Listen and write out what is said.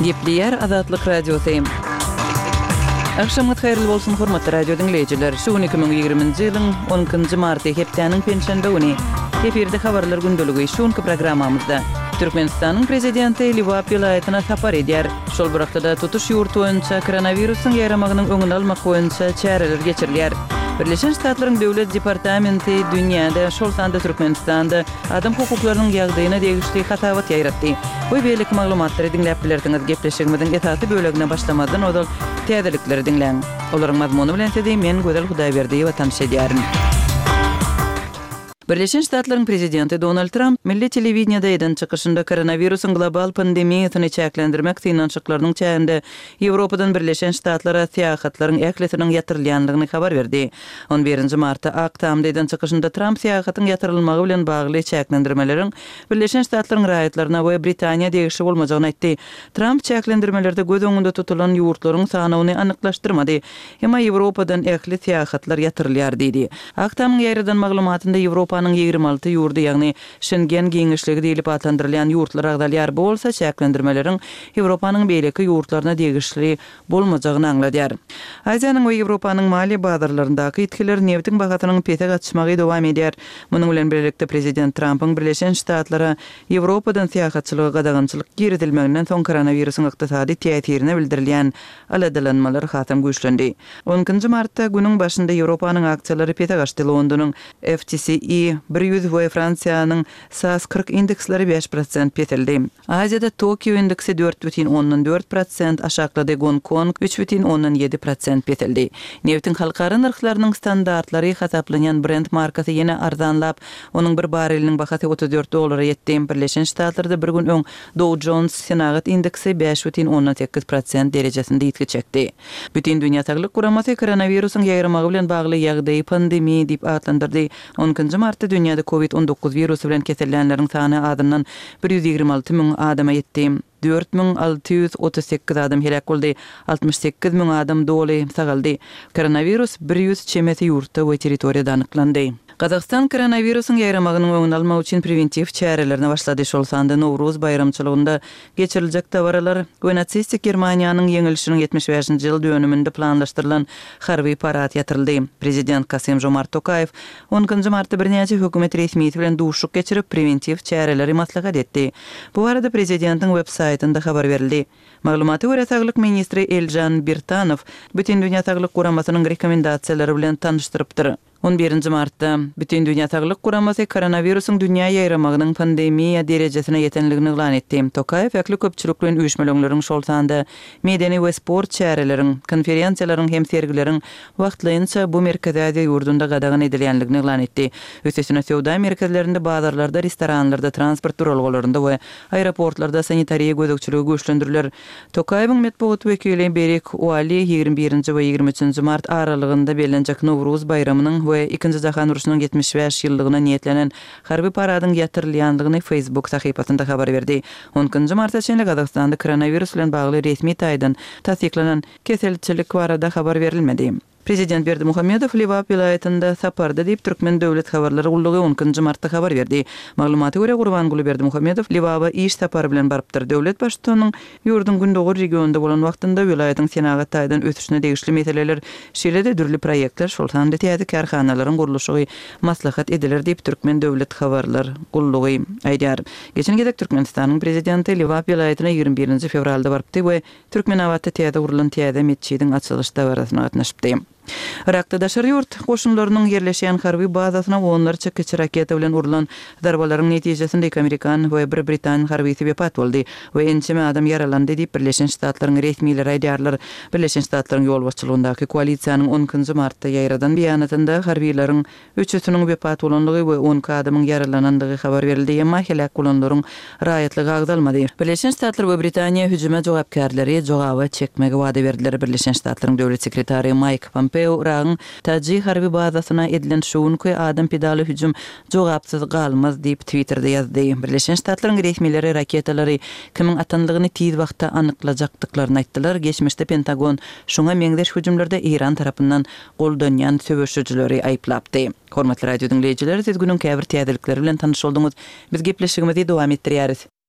Gepleýär Azatlyk Radiosy. Agşamyňyz haýyrly bolsun, hormatly radio diňleýjiler! Şu gün 2020-nji ýylyň on ikinji marty, hepdäniň penşenbe güni. Efirde Habarlar gündeligi. Şu günki programmamyzda Türkmenistanyň Prezidenti Lebap welaýatyna sapar edýär. Şol bir wagtda-da tutuş ýurt boýunça koronawirusyň ýaýramagynyň öňüni almak boýunça çäreler geçirilýär. Birleşen Ştatlaryň Döwlet departamenti dünýäde, şol sanda Türkmenistanda adam hukuklarynyň ýagdaýyna degişli hasabat ýaýratdy. We beýleki maglumatlary diňläp bilersiňiz. Gepleşigimiziň esasy bölegine başlamazdan ozal täzelikleri diňläň. Olaryň mazmuny bilen sizi men Gözel Hudaýberdiýewa tanyş edýärin. Birleşen Ştatlaryň Prezidenti Donald Tramp milli telewideniýede eden çykyşynda koronawirusyň global pandemiýasyny çäklendirmek synanyşyklarynyň çäginde Ýewropadan Birleşen Ştatlara syýahatlaryň ählisiniň ýatyrylýandygyny habar berdi. On birinji martda Ak Tamda eden çykyşynda Tramp syýahatyň ýatyrylmagy bilen bagly çäklendirmeleriň Birleşen Ştatlaryň raýatlaryna we Britaniýa degişli bolmajagyny aýtdy. Tramp çäklendirmelerde göz öňünde tutulan ýurtlaryň sanawyny anyklaşdyrmady. Emma Ýewropadan ähli syýahatlar ýatyrylýar diýdi. Ak Tamyň ýaýradan maglumatynda Ýewropanyň 26 ýurdy, ýagny Şengen giňişligi diýlip atlandyrylýan ýurtlar agzalýar, bu bolsa çäklendirmeleriň Ýewropanyň beýleki ýurtlaryna degişli bolmajagyny aňladýar. Aziýanyň we Ýewropanyň maliýe bazarlaryndaky ýitgiler nebitiň bahasynyň pese gaçmagy dowam edýär. Munuň bilen birlikde prezident Trampyň Birleşen Ştatlara Ýewropadan syýahatçylyga gadagançylyk girizilmeginden soň koronawirusyň ykdysady täsirine bildirilýän Aladalanmalar hasam güýçlendi. On ikinji martda günüň başynda Ýewropanyň aksiýalary pese gaçdy, Londonyň FTSE 100 we Fransiýanyň SAS 40 indeksleri 5% peseldi. Aziýada Tokio indeksi 4,4% aşaklady, Gonkong 3,7% peseldi. Nebitiň halkara nyrhlarynyň standartlary hasaplanýan Brent markasy ýene arzanlap, onuň bir bareliniň bahasy 34 dollara ýetdi. Birleşen Ştatlarda bir gün öň Dow Jones senagat indeksi 5,8 prosent derejesinde ýitgi çekdi. Bütindünýä Saglyk Guramasy koronawirusyň ýaýramagy bilen bagly ýagdaýy pandemiýa diýip atlandyrdy. On ikinji martda dünýäde covid 19 wirusy bilen kesellänleriň sany azyndan 126 müň adama ýetdi. 4638 adam heläk boldy, 68 müň adam doly sagaldy. Koronawirus 100 çemesi ýurtda we territoriýada anyklandy. Gazagystan koronawirusyň ýaýramagynyň öňüni almak üçin prewentiw çärelerine başlady, şol sanda Nowruz baýramçylygynda geçiriljek dabaralar we nasistik Germaniýanyň ýeňilişiniň 75-nji ýyl dönüminde planlaşdyrylan harby parad ýatyryldy. Prezident Kasym-Žomart Tokaýew on ikinji martda birnäçe hökümet resmisi bilen duşuşyk geçirip, prewentiw çäreleri maslahat etdi. Bu barada prezidentiň web saýtynda habar berildi. Maglumata görä, saglyk ministri Elžan Birtanow Bütindünýä saglyk guramasynyň rekomendasiýalary bilen tanyşdyrypdyr. On birinji martda Bütindünýä saglyk guramasy koronawirusyň dünýä ýaýramagynyň pandemiýa derejesine ýetenligini yglan etdi. Tokaýew ähli köpçülikleýin üýşmeleňleriň, şol sanda medeni we sport çäreleriň, konferensiýalaryň hem sergileriň wagtlaýynça bu Merkezi Aziýa ýurdunda gadagan edilýänligini yglan etdi. Üstesine söwda merkezlerinde, bazarlarda, restoranlarda, transport duralgalarynda we aeroportlarda sanitariýa gözegçiligi güýçlendiriler. Tokaýewiň metbugat wekili Berik Uali 21 nji we 23 nji mart aralygynda bellenjek Nowruz baýramynyň we Ikinji jahan urşunyň 75 ýyllygyna niýetlenen harby paradyň ýatyrylýandygyny Facebook sahypasynda habar berdi. On ikinji marta çenli Gazagystanda koronawirus bilen bagly resmi taýdan tassyklanan keselçilik barada habar berilmedi. Prezident Berdimuhamedow Lebap welaýatynda saparda diýip, Türkmen döwlet habarlar gullugy on ikinji martda habar berdi. Maglumata görä, Gurbanguly Berdimuhamedow Lebaba iş sapary bilen barypdyr. Döwlet Baştutanynyň ýurduň gündogar regionynda bolan wagtynda welaýatyň senagat taýdan ösüşine degişli meseleler, şeýle-de dürli proýektler, şol sanda täze kärhanalaryň gurluşygy maslahat ediler diýip, Türkmen döwlet habarlar gullugy aýdýar. Geçen gezek Türkmenistanyň Prezidenti Lebap welaýatyna 21 nji fewralda barypdy we Türkmenabatda täze gurlan täze metjidiň açylyş dabarasyna gatnaşypdy. Yrakda daşary ýurt goşunlarynyň ýerleşýän harby bazasyna onlarça kiçi raketa bilen urlan zarbalaryň netijesinde iki amerikan we bir britan harbysy wepat boldy we ençeme adam ýaralandy diýip, Birleşen Ştatlaryň resmileri aýdýarlar. Birleşen Ştatlaryň ýolbaşçylygyndaky koalisiýanyň on ikinji martda ýaýradan beýanatynda harbylaryň Üçüsiniň wepat bolandygy we 12 adamyň ýaralanandygy habar berildi, emma heläk bolanlaryň raýatlygy agzalmady. Birleşen Ştatlar we Britaniýa hüjüme jogapkärleri jogaba çekmegi wada berdiler. Birleşen Ştatlaryň döwlet sekretary Maýk Pompeo Yragyň Taji harby bazasyna edilen şu günki adam pidaly hüjüm jogapsyz galmaz diýip, Twitterde ýazdy. Birleşen Ştatlaryň resmileri raketalary kimiň atanlygyny tiz wagtda anyklajakdyklaryny aýtdylar. Geçmişde Pentagon şuňa meňzeş hüjümlerde Eýran tarapyndan goldanýan söweşijileri aýyplapdy. Hormatly radio diňleýjiler, siz günüň käbir täzelikleri bilen tanyş bolduňyz. Biz gepleşigimizi dowam etdirýäris.